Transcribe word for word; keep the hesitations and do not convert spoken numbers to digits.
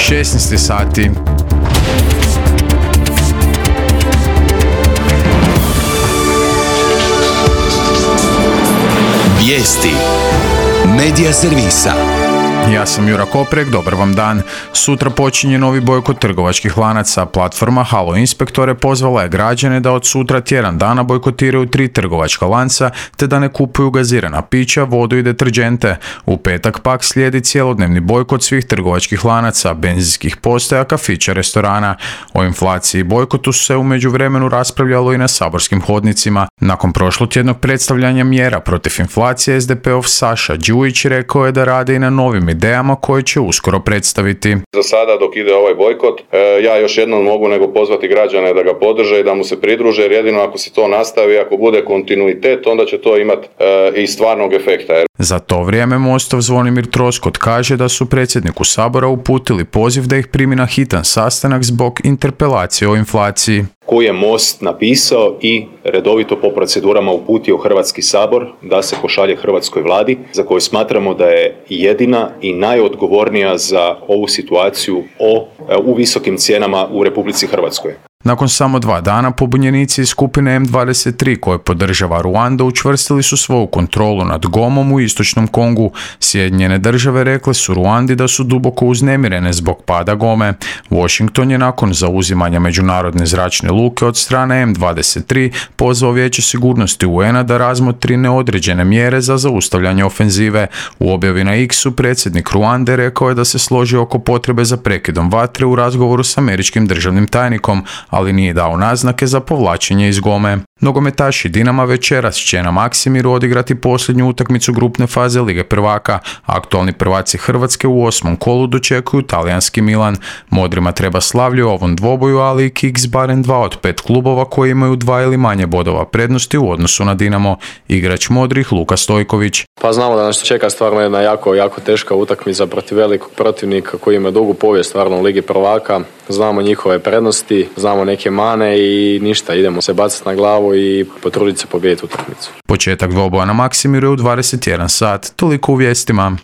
šesnaest sati. Vijesti Medija servisa. Ja sam Jura Koprek, dobar vam dan. Sutra počinje novi bojkot trgovačkih lanaca. Platforma Halo Inspektore pozvala je građane da od sutra tjedan dana bojkotiraju tri trgovačka lanca te da ne kupuju gazirana pića, vodu i deterdžente. U petak pak slijedi cjelodnevni bojkot svih trgovačkih lanaca, benzinskih postaja, kafića, restorana. O inflaciji i bojkotu se u međuvremenu raspravljalo i na saborskim hodnicima. Nakon prošlotjednog predstavljanja mjera protiv inflacije, es de pe ov Saša Đujić rekao je da rade i na novim idejama koje će uskoro predstaviti. Za sada dok ide ovaj bojkot, ja još jednom mogu nego pozvati građane da ga podrže i da mu se pridruže, jer jedino ako se to nastavi, ako bude kontinuitet, onda će to imati i stvarnog efekta. Za to vrijeme Mostov Zvonimir Troskot kaže da su predsjedniku Sabora uputili poziv da ih primi na hitan sastanak zbog interpelacije o inflaciji. Koji je Most napisao i redovito po procedurama uputio Hrvatski sabor da se pošalje hrvatskoj vladi, za koju smatramo da je jedina i najodgovornija za ovu situaciju o, u visokim cijenama u Republici Hrvatskoj. Nakon samo dva dana pobunjenici iz skupine em dvadeset tri koje podržava Ruanda učvrstili su svoju kontrolu nad Gomom u istočnom Kongu. Sjedinjene države rekle su Ruandi da su duboko uznemirene zbog pada Gome. Washington je nakon zauzimanja međunarodne zračne luke od strane em dvadeset tri pozvao Vijeće sigurnosti u en a da razmotri neodređene mjere za zaustavljanje ofenzive. U objavi na X-u predsjednik Ruande rekao je da se složi oko potrebe za prekidom vatre u razgovoru s američkim državnim tajnikom, ali nije dao naznake za povlačenje iz Gome. Nogometaši Dinama večeras će na Maksimiru odigrati posljednju utakmicu grupne faze Lige prvaka. Aktualni prvaci Hrvatske u osmom kolu dočekuju talijanski Milan. Modrima treba slavlje u ovom dvoboju, ali i kiks barem dva od pet klubova koji imaju dva ili manje bodova prednosti u odnosu na Dinamo. Igrač modrih Luka Stojković. Pa znamo da nas čeka stvarno jedna jako, jako teška utakmica protiv velikog protivnika koji ima dugu povijest stvarno u Ligi prvaka. Znamo njihove prednosti, znamo neke mane i ništa, idemo se baciti na glavu i potruditi se pobijediti utakmicu. Početak dvoboja na Maksimiru je u dvadeset jedan sat, toliko u vijestima.